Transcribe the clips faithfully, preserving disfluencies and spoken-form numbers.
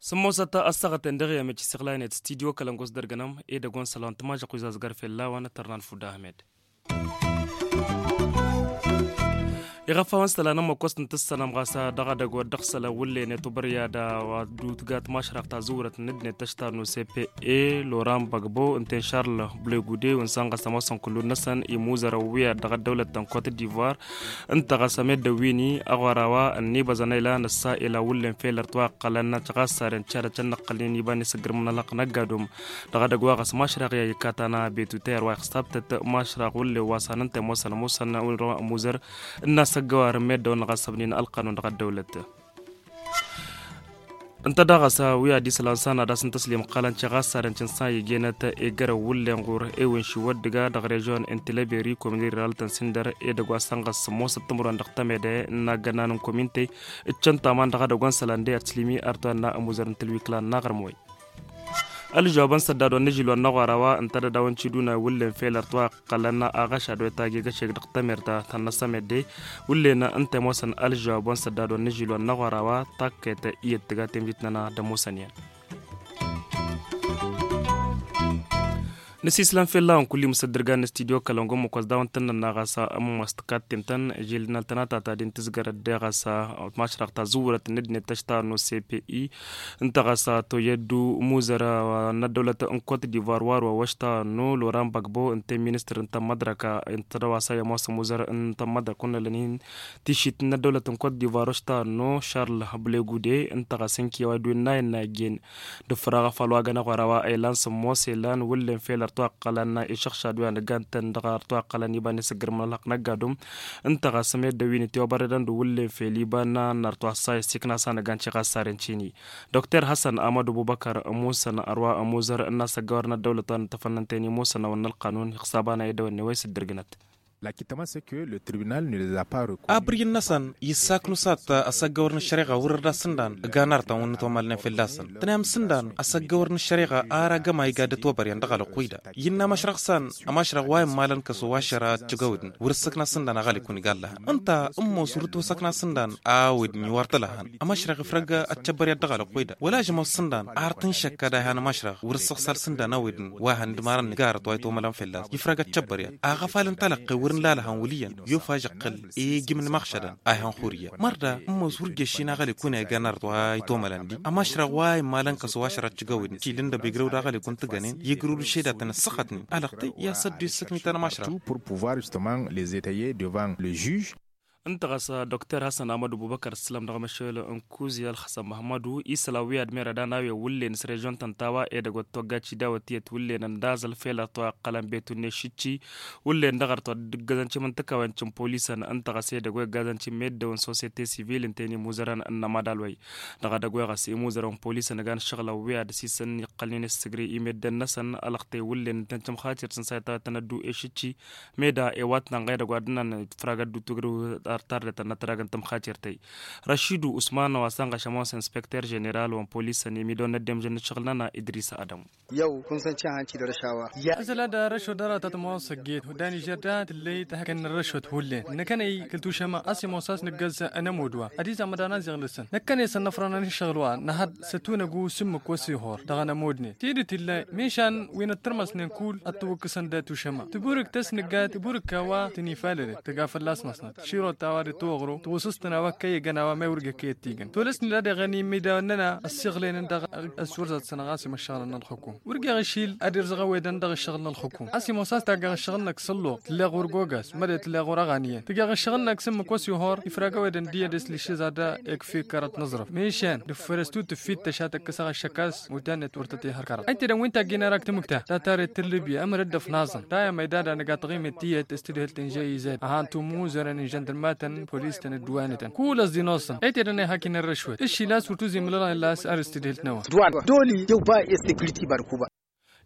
Sǝmmosăt ăssaɣăten dăɣ-i ămeci s-iɣlaynet studio kălăngos dăr-gănăm edăgg wa n-sălăwăn tămažăɣ wi zazgăr fell-a-wăn tărnan fudda ahmed. Iɣăfawăn s-tăla n-ămmăkkost n-tǝssănăm ɣas dăɣ-edăgg wa dd-ăɣsălăn wǝllen i-tubăryad wa dd-utgat mašrăɣt ta zǝwrăt n-ǝddinăt tăštar n-ospe loran băgbo ǝnta i-n šarl blegude wi n-săn ɣas ămoosăn kullu-năsăn imuzărăn wi ad-dăɣ-ăddăwlăt ta n-kot divoir. Ǝnta ɣas ămeddǝn wi-ni aɣora wa ănnibăẓăn a ilan ăssa ila wǝllen fel ărtwa ăqqălăn căɣas sarăn cad-ăccăn n-ăqqălnen iba n-isǝggǝrmăn ălxăqq n-ăgg-adum. Dăɣ-edăgg wa ɣas mašrăɣ i-a ikkatăn abetutăy ărwa ixsabtăt mašrăɣ wǝllen wa s-han ǝnta i-ămoosăn ămoosăn ămuzăr ǝnn'-as ăggăwar n-meddǝwăn ɣas ăbnin ălqanun dăɣ-ăddăwlăt. Ǝnta daɣ ɣas wi ad-isălan s-han ad-asǝntăslem ǝqqălăn ceɣ a-s sarăn cǝnsan igenăt egărăw wǝllen ɣur-ewǝn šiwăt dăgg-a dăɣ-režion n-tilăberi komin riralăt n-sǝndăr edăgg wa s-han ɣas sǝmmosăt timǝrwen dăɣ-temede n-agănan n-komintey. Ǝccăn taman dăɣ-edăgg wa n-isălan d-i ad-tǝslǝmi artoyan n-amuzăr n-tǝlwikla n-aɣrǝm-way. Ălžăwab n-săddad wa n-ažil wa n-aɣora wa ǝnta d-ad-dawăn ciduna wǝllen fel ărtwa ăqqălăn aɣăšad wa itajegăšeg dăɣ-temert ta n-năsămedde. Wǝllen ǝnta i-ămoosăn ălžăwab wa n-săddad wa n-ažil wa n-aɣora wa takket iyyăt tǝga temjit-nănăɣ d-ămoosăn iyyăn. Nǝsislan fell-a-wăn kull-i mǝsăddărgan n-studio kălăngo măkos dawăn tăn-nănna ɣas ămmas tǝkattem-tăn žil n-altănata ta din tǝzgărăt deɣ ɣas mašrăɣ ta zǝwwărăt n-ăddinăt tăštarăn n-ospe. Ǝnta ɣas toyăddu muzăr n-ăddăwlăt n-kot divoir war wa wăštarăn n-oloran băgbo ǝnta i-ministăr n-tămmădrăk ǝnta d-a-wa s-a i-ămoos muzăr n-tămmădrăk wănnălăn-in tišit n-ăddăwlăt n-kot divoir wăštarăn n-ošarl blegude. Ǝnta ɣas ǝnki a-wa dd-win n-a innă iggen d-ǝffăraɣ afăl wa găn aɣora wa a ilan sǝmmos ilan wǝllen fel ărtwa ăqqălăn išăɣšad wi anăggan-tăn dăɣ-ărtwa ăqqălăn iba n-isǝggǝrmăn ălxăqq n-ăgg-adum. Ǝnta ɣas ămedda wi n-itiwăbărădăn d-wǝllen fel iba n-a n-ărtwa ăssa i-ăssiikna s-anăggan ceɣ a-s sarăn cini. Dokter hasăn amădu bubăkăr ămusăn ărwa ămuzăr n-asăggăwăr n-ăddăwlăt wa n-tăfănnăn teni musăn a wănna ălqanun ixsaban a edăwănne wa isǝddǝrgǝnăt. Abǝrǝy-năsăn issaknu s-ad-t asăggăwăr n-ăššăreɣa wăr-dd asǝndan ăgg-anăr ta wăr nǝtomalnen fălla-săn tănayăm sǝndan asăggăwăr n-ăššăreɣa ar agămay iga dd-ătwăbăryăn dăɣ-alăqquy da. Innă ămašrăɣ s-an ămašrăɣ wa immalăn kăs-owašăr ad-t-ăgg-awǝdǝn wăr-ǝssăkna sǝndan aɣălikun iga ăllăhăn ǝnta ǝmmos wăr-dd-osăkna sǝndan a-awǝdǝn iwar tălăhăn. Ămašrăɣ ifrăg ăttăbbăryat dăɣ-alăqquy da wăla žămăw sǝndan ar tǝnšăkka d-a ihan ămašrăɣ wăr-ǝssăɣsal sǝndan a-awǝdǝn wa hăn d-marăn nǝgarăt wa itwămălăn fălla-s ifrăg ăttăbbăryat aɣăfal n-talăqqe wăr-nǝlalăhăn wăl' iyyăn i-of ažăqqǝl i-ijǝm n-imăɣšadăn a ihan xurǝyya mărda. Ǝmmos wăr-ija ăššin aɣălikun a iganarăt wa itomălăn di ămašrăɣ wa immalăn kăs-owašăr ad-t-ǝjjăwǝdǝn ǝššil ǝndăb ijrăw d-aɣălikun tǝggănen i-ǝgrǝw d-ǝššedatăn ǝssăɣătnen alăɣtăy i-ad-săddu i-ǝssǝknităn ămašrăɣ. Pour pouvoir justement les étayer devant le juge. Ǝnta ɣas dokter hasăn amădu bubăkăr ǝssǝlăm dăɣ-măšel n-kuzya ălxăsăn măhmădu isălan wi ad-merăd a n-a-wen wǝllen s-režion ta n-tawa edăgg wa t-togga cidawăt iyyăt wǝllen ăndazăl fel ărtwa ăqqălăn betun n-eššǝcci. Wǝllen dăɣ-ărtwa dd-ǝggăzăn cimǝntǝkawen cǝmpolisăn ǝnta ɣas edăgg wa iggazăn cǝmmeddăwăn sosete sivil ǝnta i-inimuzărăn n-amadal-way. Dăɣ-edăgg wa ɣas imuzărăn polisăn ăgg-an ǝššăɣǝlăn wi ad-dăr-s isăn iqqălnen issǝgre i-meddǝn-năsăn alăɣtăy wǝllen ǝntăn cǝmxatir-tăn s-a itawăt tăn-ăddu eššǝcci. Meda ewatnănɣ edăgg wa dd-ǝnnan ifrag ăddu tǝgrǝw ar tardătăn n-ătrag n-tǝmxatir-tăy. Răšidu usman wa s-ănɣăšăm wa s-inspekter ženeral wa n-polisăn imidăwăn n-ăddemžăn n-ǝššăɣǝl-nănăɣ idris adămu. Yăw kun săn cihăn ci-dăɣ răšawa. Ăzăla d-arăšot dăɣ-aratăt ma wa s-ăgget hudan ižerda tǝllăy tahăkăn n-arăšot hullen năkkănăy kăl-tušăma a-s imoos a-s nǝggăz ănămud wa ad-izamăd anăziɣ-năsăn năkkănăy s-ănnăfrănăn iššăɣǝl wa năhăd s-ătunăgu s-ǝmmǝk wa s-ihor dăɣ-anămudnen tidǝt illa minšan wi n-ăttărmăsnen kull ăttăwăkkăsăn d-atušăma tǝburǝk tăsnǝgga tǝburǝk a-wa tăn-ifalălăt tǝga fălla-s măsnăt širot a-wa dd-toɣro tǝwǝsǝstăn a-wa kăy-igăn a-wa mewrǝg ăkăy ăttigăn tolăsnen ad-iɣăn imidawăn-nănăɣ ăssiɣlăynen dăɣ-ăssurzăt-săn ɣas imăššăɣlăn n-ălxukum wăr geɣ išil ad-irzăɣ ăwedăn dăɣ-ǝššăɣǝl n-ălxukum a-s imoos a-s taggeɣ ǝššăɣǝl-năk s-ălluɣ tǝlleɣ wăr gogas măde tǝlleɣ wăr ăɣaniyăn tǝggeɣ ǝššăɣǝl-năk s-ǝmmǝk wa s-ihor ifrag ăwedăn d-iyyăn d-esli šizada ikfi kărăt n-aẓrǝf minšan dǝffărăstu tǝffittăš ad-tăkkăsăɣ ăššăk a-s mutannăt wăr tăt-ihăr kărăt ăytedăn wi n-taggin arak tǝmǝkta tatarret n-libya ămăr dd-ăfnaẓăn tayăm ăydada nǝga taɣimet tiyyăt s-tǝdhǝlt n-žăy ized ăhan tumuzărăn n-žăndărmatăn polis-tăn dd-wanătăn kull ăẓḍinoẓăn ăytedăn a ihakin ărrăšwăt ǝššil a-s wăr tuzǝy imǝlălăn illa a-s ar s-tǝdhǝlt n-a-wa. Doli yăw ba i-security barkuba.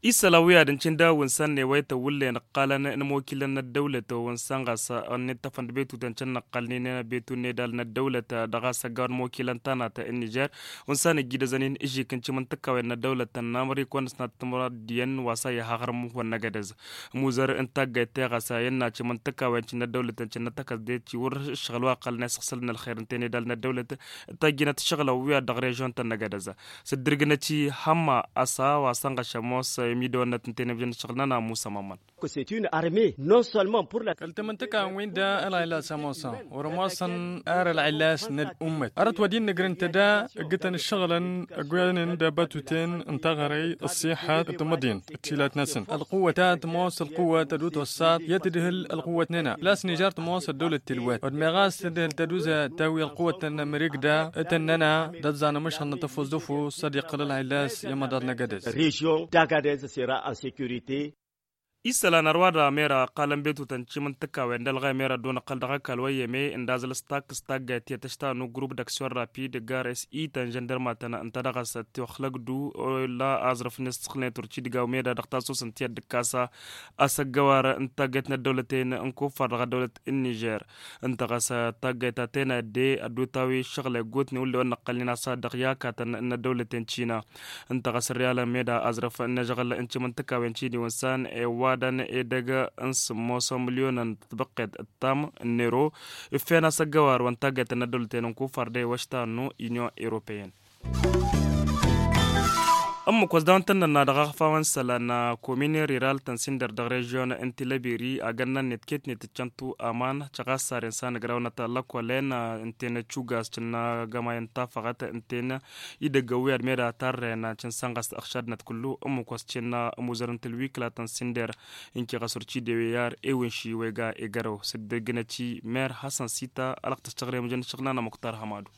Isălan wi ad-ǝncǝn daw-ǝnsan n-ewăytăn wǝllen ǝqqalăn n-imokilăn n-ăddăwlăt wa ǝnsan ɣas ănnittăfăn d-betutăn cǝnnăqqalnen betut n-edal n-ăddăwlăt dăɣ-a-s ăggaw n-imokilăn tanat n-nižer wa ǝnsan ǝjjidăzăn-in ǝžžik n-cimǝntǝkawen n-ăddăwlăt n-amrikon s-nat timraddiyen wa s-a iha aɣrǝm wa n-năgădăz. Muzăr n-taggayt teɣăsa i-ănna cimǝntǝkawen cǝnnăt dăwlăt n-cǝnnăt tăkăs de-ti wăr ǝššăɣǝl wa ăqqălăn isăɣsăl n-ălxer ǝnten edal n-ăddăwlăt. Tăjjinăt ǝššăɣǝlăn wi ad-dăɣ režion-tăn năgădăz. S-ǝddǝrgǝnăt-i hămma ăsa wa sănɣăš ămoos imidăwănnăt n-tenăbjăn ǝššăɣǝl-nănăɣ musămămăn. Kăl-tamǝntǝka n-win-da ălɣaylas ămoosăn wăr-ămoosăn ar ălɣaylas n-ăl'ummăt arăt wa d-innăgrǝn-tăda ǝggǝtăn ǝššăɣǝlăn ăgg-wenen d-abatuten n-taɣăre ăṣṣiḥăt d-timǝḍin d-tilat-năsăn ălquwăt a tămoos ălquwăt ad-utwăṣṣat i-ad-tǝdhǝl ălquwăt-nănăɣ las nižar tămoos ăddăwlăt tilwăt wăr meɣas tǝdhǝl tăduzăt tawi ălquwăt-tăn n-amerik da. Tăn-nănăɣ d-ăẓẓan ămăšhăl n-atăfus d-ăfus ad-iqqǝl ălɣaylas i-amăḍaḍ n-agădez. Režion d-agadez sera en securite. Isălan ărwa dăɣ-mera ăqqalăn betutăn cimǝntǝkawen d-ălɣaymer ad-dd-unăqqăl dăɣ-ăkall wa iyyăme ǝndazăl s-takk s-taggayt i-tăšta n-ugrup d-aksyon rapid gar s-ităn žăndărmatăn ǝnta dăɣ-s ăttiwăxlăgdu. Ula aẓrǝf n-isǝxlnet urci dăɣ-a-wa meda dăɣ-tasus n-tiyyăt d-ǝkkasa asăggăwar n-taggayt n-ăddăwlăten n-kuffar dăɣ-ăddăwlăt n-nižer. Ǝnta ɣas taggayt ta tenădde ădduta wi ǝššăɣǝl eggutnen wǝllen wa n-năqqălnen a-s a dăɣ-i akatăn n-ăddăwlăten cina. Ǝnta ɣas ărriyalăn meda aẓrǝf n-ažăɣǝl n-timǝntǝkawen cini wa ǝnsan i-ăwadăn edăgg n-sǝmmos n-milyonăn tibăqqet d-tam n-ero. Iffen-as ăggăwar wa n-taggayt n-ăddăwlăten n-kufar d-ewăšta n-union europeyăn. Ǝmmǝk wa s-dawăn tăn-nănna dăɣ-aɣfawăn isălan komin riral tăn-sinder dăɣ-režion n-tilăbiri agănna-net ket-net ǝccăntu aman căɣas saren s-anăgrawnăt lăkolen ǝnten cugas cǝnna gămayăn tafăɣăt ǝnten idăgg ăwwiyad meda tarren cǝnsan ɣas ăɣšadnăt kullu. Ǝmmǝk wa s-cǝnna ămuzăr n-tǝlwikla tăn-sinder. Inki ɣas urci d-ewe i-ar ewǝnši wega egărăw s-dd-ăggǝnăt-i mer hasăn sita alăɣ tăstăɣrem jăn ǝššăɣǝl n-anămuktar hămadu.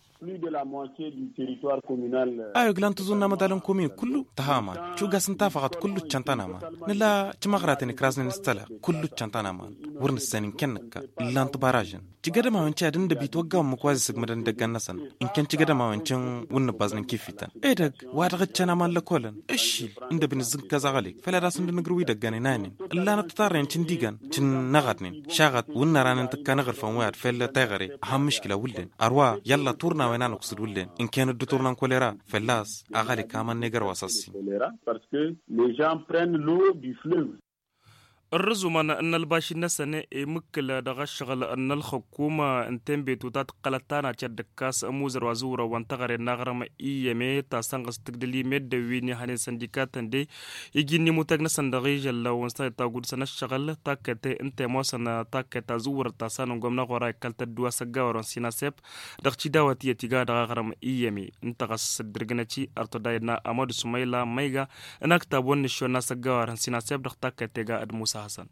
A iglan tǝẓunna mădalăn komin kullu tăha aman. Cugas n-tafăɣăt kullu ǝccăn-tăn aman. Nǝla cimăɣraten ikraznen s-tăla kullu ǝccăn-tăn aman. Wăr nǝssan inkăn nǝkka ǝllan tibaražăn. Cigădămawen ci ad-ǝndăb itwăggaw ǝmmǝk wa z-isǝgmǝdăn idăggan-năsăn. Inkăn cigădămawen cin wǝnnǝbbaẓnen kif-ităn edăgg wa dăɣ-ǝccăn aman lăkolăn. Ǝššil ǝndăb inǝzzǝnkăẓ aɣălek făl ad-asǝndǝnǝgrǝw idăggan inanen. Ǝllanăt titarren cǝndigăn cǝnnăɣădnen šaɣăt wǝnnăranen tǝkka n-aɣǝrfăn wi ad-făll tayɣăre. Ahăn mǝškila wǝllen ărwa yălla turnawen a nǝkǝsǝd wǝllen. Ǝnken dd-turna n-kolera fălla-s aɣălek aman n-egăr wa s-ăssin. Ărrǝzumăn n-ălbaši-năsăn imǝkkǝl dăɣ-ăššăɣǝl n-ălxǝkkum. Ǝnta i-inbetu ta tǝqqălăt tanacăt d-ǝkkas ămuzăr wa zǝwrăwăn teɣăre n-aɣrǝm iyyăme ta sănɣăs tǝgdǝl i-meddǝn wi n-ihănen săndikatăn de. Iji n-imutăg-năsăn dăɣ-ižăllăw n-sănăt ta gud-săn ăššăɣǝl takkăt ǝnta i-ămoosăn takkăt ta zǝwwărăt ta sanăn gomna ɣora ikkăl tăddu asăggawărăn sinasep. Dăɣ-tidawăt iyyăt iga dăɣ-aɣrǝm iyyăme. Ǝnta ɣas dd-irgǝnăt-i ărtădayăd n-amădu sumăyla măyga n-aktab wa n-nǝššon n-asăggawărăn sinasep dăɣ-takkăt tega d-musa hasăn.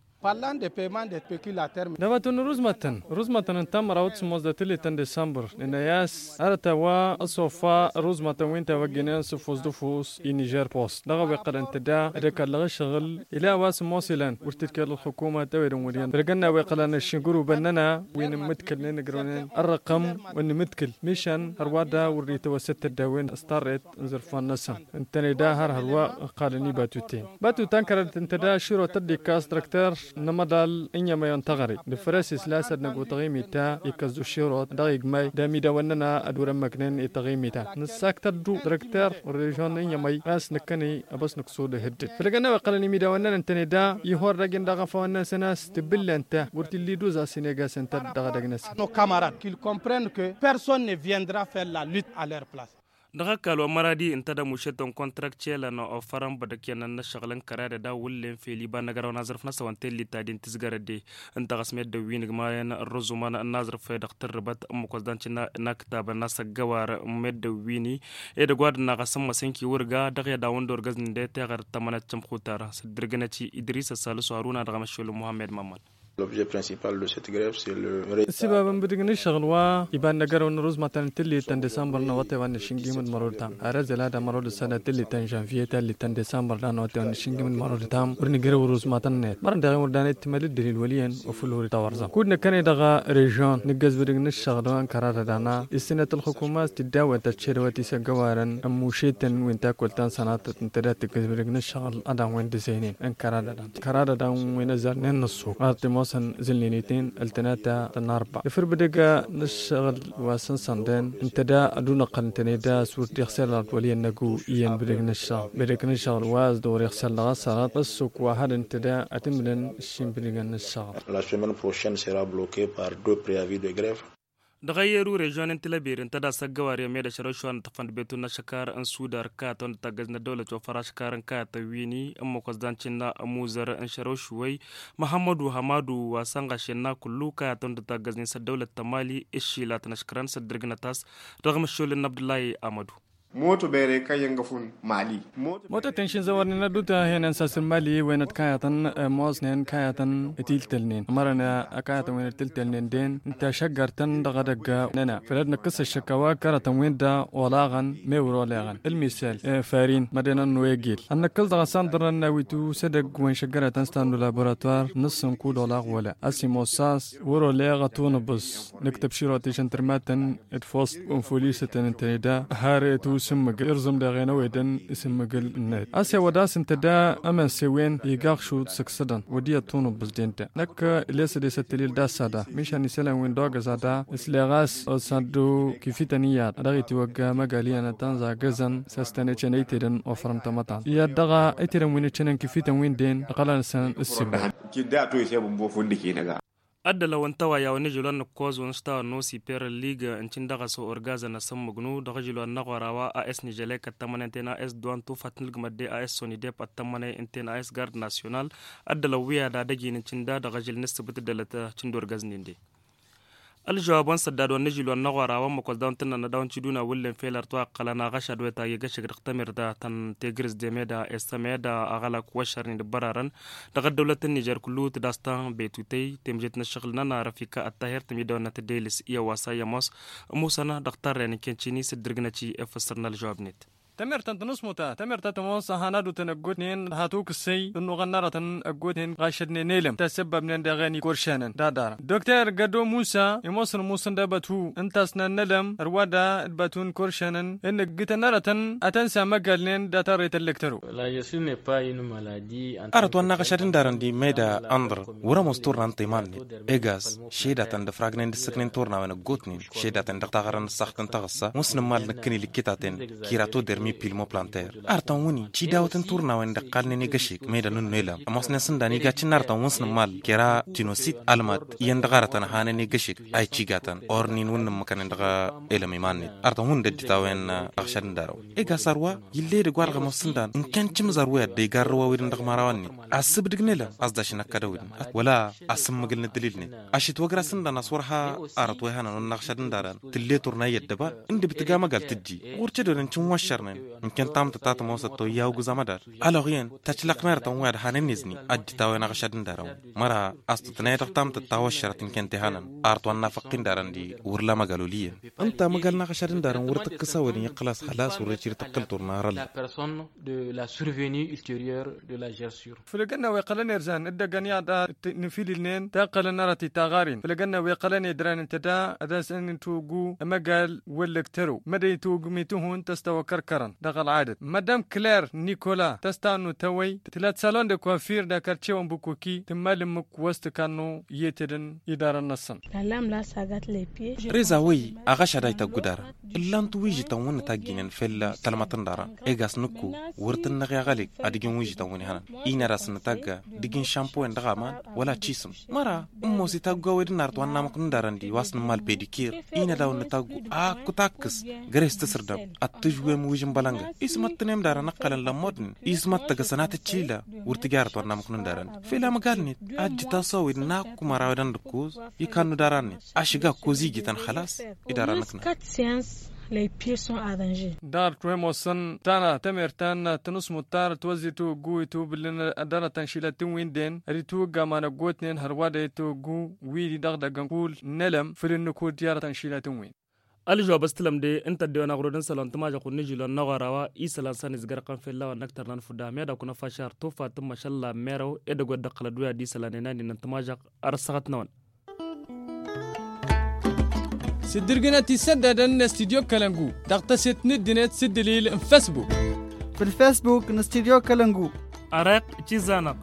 Dăɣ-ăbatun ruzmătăn ruzmătăn ǝnta mărawăt sǝmmos d-atǝllet n-disămbăr nǝnăy-as arăt a-wa ăsofa ruzmătăn wi n-tawăgginen s-ǝffus d-ǝffus i-nižer post dăɣ-a-wa iqqălăn tǝdda d-ăkall dăɣ-ǝššăɣǝl ila a-wa sǝmmos ilăn wăr t-dd-kăl ălxukuma tawed n-wăr-iyyăn făll-ăgg ănn a-wa iqqălăn ăššin gurubăn-nănăɣ wi n-ǝmmǝdkǝl n-inǝgrăwnen ărrăqăm wa n-imǝdkǝl mišan hărwa da wăr-dd-itawăssăt tăddawen s-tarret n-zărfan-năsăn. Ǝntăne da har hărwa ǝqqalăn ibatuten batutan kăradet ǝnta da aširot ad-dd-ikkas dăr-ăkter n-amăḍal n-iyyămăyăn taɣăre d-făr-e-s isla s-ad-năgg wa taɣimit ta ikkăs d-aširot dăɣ-igmay d-amidawăn-nănăɣ ad-wăr-ămmăknen i-taɣimit ta nǝssaktăt-du dăr-ăkter n-režion n-iyyămăy a-s nǝkkăne ăbăsnăk s-odăh dd-dd făll-ăgg ănn a-wa iqqălăn imidawăn-nănăɣ ǝntăne da ihor dăgg-en dăɣ-afăwăn-năsăn a-s tǝbǝllen ta wăr t-illa iduz a-s ineg-asăn ta dăɣ-edăgg-năsăn. Nos camarad kil comprendre que personne ne viendra faire la lutte a leur place. Dăɣ-ăkall wa n-măradi ǝnta d-ămušet n-kontrak celăn ofărăn bădăk i-ănnăn n-ăššăɣǝl n-kăraydăd a wullen fel iba n-ăgg-ărăwăn aẓrǝf-năsăn wa n-tellit ta din tǝzgărăd-e. Ǝnta ɣas meddǝn wi n-igmayăn ărrǝzumăn n-aẓrǝf-e dăɣ-tǝrrǝbăt ǝmmǝk wa s-dăɣ-nǝcǝnna n-aktab n-asăggăwar n-meddǝn wi-ni edăgg wa dăɣ-naɣ asǝmmăs n-kiwǝrga dăɣ-i ad-dawăn d-orgăznen d-e teɣăr d-tămănet cǝmxutar s-dd-irgǝnăt-i idris ăssalǝsu haruna dăɣ-amăššol n-muhammed mămmăn. L'objet principal de cette grève, c'est le retard. Ǝssǝbab n-bǝdǝg n-ǝššăɣǝl wa iba n-năgărăw n-rǝzmatăn n-tǝllit ta n-disambăr n-awătay wa n-nǝššǝnjim d-mărod tam arăzăl ad-amărod d-sănat tǝllit ta n-žănviye tǝllit ta n-disambăr d-anăwătay wa n-nǝššǝnjim d-mărod tam wăr nǝjrăw rǝzmatăn-net mărăn dăɣ-e wăr danăy d-timălǝddǝl i-wăl' iyyăn. Ofǝl wăr-itawărzăm kud nǝkkăne dăɣ-režion nǝggăz bǝdǝg n-ǝššăɣǝl wa n-kăra d-ad-ana issănet ălxukuma s-tiddawet ta t-šedăwăt isăggăwarăn ămmušetăn wi n-takkălt ta n-sănatăt ǝnta dat-tǝggǝz bǝdǝg n-ǝššăɣǝl ad-an wen dăzăynen n-kăra d-ad-an kăra d-ad-an wen ăzărnen n-ăṣṣuk ar t-ămoosăn zǝlnen-i-ten ăltănata tănarba ifǝr bǝdǝg n-ǝššăɣǝl wa s-ǝnsănden ǝnta da ad-unăqqăl ǝntăne da s-wăr dd-iɣsel ard wăl' iyyăn năgu iyyăn bǝdǝg n-ǝššăɣǝl bǝdǝg n-ǝššăɣǝl wa s-dd-wăr-iɣsel dăɣ-ăṣṣărăt ăṣṣuk wa had ǝnta da ad-t-ǝmǝlăn ǝššin bǝdǝg n-ǝššăɣǝl. La semaine prochaine sera bloquée par deux préavis de grève. Dăɣ-ayyeru režion n-tilăbir ǝnta da s-ăggăwar i-ămmed ašărăwšwa n-tăfăn d-betun n-ašăkar n-sudar kayătăn d-taggăz n-ăddăwlăt wa făr ašăkar n-kayătăn wi-ni ǝmmǝk wa s-dan-cǝnna ămuzăr n-šărăwšwăy. Măhămmădu hămadu wa sănɣăš i-ănna kullu kayătăn d-taggăz-nin s-ăddăwlăt ta mali ǝššilat n-aškărăn s-ăddărgǝnăt a-s dăɣ-măššol n-abdullah amădu. Moto bere kăyyăn găfun mali. Moto tănšin zăwărnen ădduta henen s-asǝn mali wenăt kayătăn ămoosnen kayătăn. Tiltălnen mărăn kayătăn wenăt tiltălnen den ǝnta šăggărtăn dăɣ-edăgg năna făl-ăd-năkkǝs ăššăk a-wa kărătăn-win-da olaɣăn mewăr oleɣăn ǝlmisăl farin mădenăn n-wegel ad-năkkǝs dăɣ-asandărăn n-awitu s-edăgg wen šăggărătăn s-tannu laboratuwar n-ǝssǝnkud olaɣ wăla ăsimossas wăr-oleɣ ătunǝbǝs. Nǝktăb široteš n-tǝrmatăn d-fost unfulisătăn ǝntăne da har etu s-ǝmmǝgǝl irẓǝm deɣ enăwedăn s-ǝmmǝgǝl-net a-s ewăd a-s ǝnta da ămănse-wen iga aɣšud săksădăn wăd iyyăt tunǝbbǝs-den da năkk lesăd esăt tălil d-assada mišan isălan-win d-ogăza da s-leɣ a-s s-ad-dd-kifităn iyyăḍ dăɣ-itiwăgga măgal iyyăn ad-tăn-zagăzăn s-ăstăn ecăn ăytedăn ofărăn tamătant iyyăḍ dăɣ-ăytedăn wi n-ăccănen kifităn-win-den ăqqălăn-săn ǝssǝbdăr. Ăddălăw n-tawăyya wa n-ižǝlwan n-ǝkkoẓ wa n-ǝštawăn n-osiper n-lig n-cǝn dăɣ-s orgazăn asǝmmǝgnu dăɣ-ižǝlwan n-aɣora wa a s-nižălek ăttămănen-ten a s-dduwan tufat n-ǝlgǝmăt de a s-sonidep ăttămăne ǝnten a s-gard nasyonal. Ăddălăw wi ad-adăj-in n-cǝnda dăɣ-ažǝl n-ǝssǝbǝt ǝddălăt cǝnd orgaznen de. Ălžăwab wa n-săddad wa n-ižǝlwan n-aɣora wa n-măkos daw n-tǝnnăn ad-awăn-t-iduna wǝllen fel ărtwa ǝqqălăn aɣăšad wa itagg egăšek dăɣ-tamǝrda ta n-tegres de meda s-meda aɣălak wa ăššărnen d-bărarăn dăɣ-ăddăwlăt n-nižer kullu tǝdas ta n-betutăy temjet n-ăššăɣǝl n-ănarăf ika ăttahir tǝmidăwănnăt d-elis i-ăwasa i-ămoos ămusăn dăɣ-tarren n-kencini s-dd-irgǝnăt i-efăssărna ălžăwab-net. Tamert ta n-tănăsmuta tamert ta tămoos a hanădutăn ăggootnen d-hatukǝssăy d-ănnuɣăn n-arătăn ăggootnen ɣašădnen elăm tasăbbăbnen dăɣ-en ikoršanăn d-adarăn dokter gădo musa imoosăn musǝnda bătu ǝnta a-s nannălăm ărwada d-bătu n-ikoršanăn ǝnnǝggǝtăn arătăn ad-tăn-samăgalnen d-atarre tăllăktăro. Arăt wa n-aɣăšad n-darăn d-imeda ănḍăr wăr-ămoos turna n-timan-net egas šedatăn d-ăfragnen d-ǝssǝknen turnawen ăggootnen šedatăn dăɣ-taɣărăn ǝssaɣt n-taɣǝssa wa n-sǝnǝmmal nǝkkǝn ilǝkkitaten. Kiratodermi pilmoplanter arătăn wǝnnin cidawăt n-turnawen d-ăqqalnen egăšek meda n-ǝnnu elăm ămoosnen s-ǝndan igacǝn arătăn wa n-sǝnǝmmal kera tinosit almat iyyăn dăɣ-arătăn hanen egăšek a icigatăn ornin wǝnnin măkănen dăɣ-elăm iman-net arătăn wǝnnin d-ădditawen aɣšad n-darăw. Egas arwa ill'-e edăgg wa dăɣ-ămoos s-ǝndan ǝnken cǝmzăr wi ad-dd-igarrǝw a-wi-dăn dăɣ-mărawăn-net asǝbdǝg n-elăm a-s dašăn ăkkăd a-wi-dăn. Wăla asǝmmǝgǝl n-ǝddǝlil-net ašǝtwăgra s-ǝndan a-s wăr ha arăt wa ihănăn wa n-aɣšad n-darăn tǝll'-e turna i-ăddăba. Ǝndǝb tǝga măgal tǝjji ɣur-cădodăn cǝnwăššărnen ǝnken tamtăt ta tămoosăt toyya ogǝz amădal. Alăɣ iyyăn tăčlăqnerătăn wi ad-hanen izni ăddit a-wen aɣšad n-darăn-wi măra a-s tǝtnăyăt dăɣ-tamtăt ta wăššărăt ǝnken tihănăn. Arăt wa n-nafăqqin darăn-di wăr la măgal oliyăn. Ǝnta măgal n-aɣšad n-darăn wăr tǝkkǝs a-wen iyyăn xălas xălas wăr-ecir tăqqǝl turna arălla. De la survenue ultérieure de la gersure. Făll-egănna wa iqqălăn erzan dd-egăn iyyăḍ a t-nǝfililnen ta ǝqqălăn arăt i-taɣarin făll-egănna wa iqqălăn edran ǝnta da ad-asăn-in-togǝw ămăgal wăllăg tărăw mădăy togǝm i-tihun tăstawăkărkărăn dăɣ-ălɣadăt madam kler nikola tăstannu tăwăy tǝla d-salon de kuafir d-akarce wa n-bukuki tǝmmal ǝmmǝk wa s-tǝkannu i-etedăn idarăn-năsăn. Reza wăy aɣăšad a ităggu darăn ǝllan-t wijǝtăn wǝnnǝtagginen fell-tălmăt n-darăn. Egas nǝkku wăr tǝnnăɣ i-aɣălek ad-ǝjǝn wijǝtăn wǝnnǝhănăn inăr a-s nǝtagga d-ǝjǝn šampoyăn dăɣ-aman wăla ăccisǝm. Măra ǝmmos itaggu a-wen d-ǝnnarăt wa n-namăk n-darăn-di wa s-nǝmmal pedikir inădaw n-nǝtaggu akk takkǝs găre-s tǝsǝrdăm ad-tǝžwem wǝžǝn bălăngăt ismăttǝnem darăn ǝqqălăn lămmodnen ismăttăgăsăn ad-tǝccila. Wăr tǝjarăt wa n-namăk n-darăn-di fel amăgal-net ajjǝt-as a-wen n-akk măra a-wen ănnǝkkoz ikannu daran-net ašǝga ăkkoz ijităn xălas. Idaran-năknăn. Lăypir son adănže. Dăɣ-ărtwem osăn tanăɣ temert ta n-tănusmut ta n-ătwăzzi tawăggu itwǝblǝn dăr-tănšilat n-wi n-den ăritwǝgg aman ăggootnen hărwa d-ayǝtwăggu wi-di dăɣ-idăggăn kull n-elăm făll-innǝkud i-arăt tănšilat n-wi. Ălžăwab ăstălăm de ǝnta ăddewăn aɣrod n-isălan tǝmažăɣt wăr nǝžilon n-aɣora wa isălan s-ănizgărăɣ n-fella wa n-ăktărnan fudda meda kunăfašar tufa tǝmmăšălla merăw edăgg wa dd-ăqqălăd wi ad-isălan enani n-tǝmažăɣt. Ărăsăɣăt-năwăn. S-dd-irgǝnăt isăddadăn n-studyo kălăngu dăɣ-tăset n-ǝddinăt s-dd-ǝlil n-fesbuk. Făll-fesbuk n-studyo kălăngu. Ăreɣ cizanăɣ.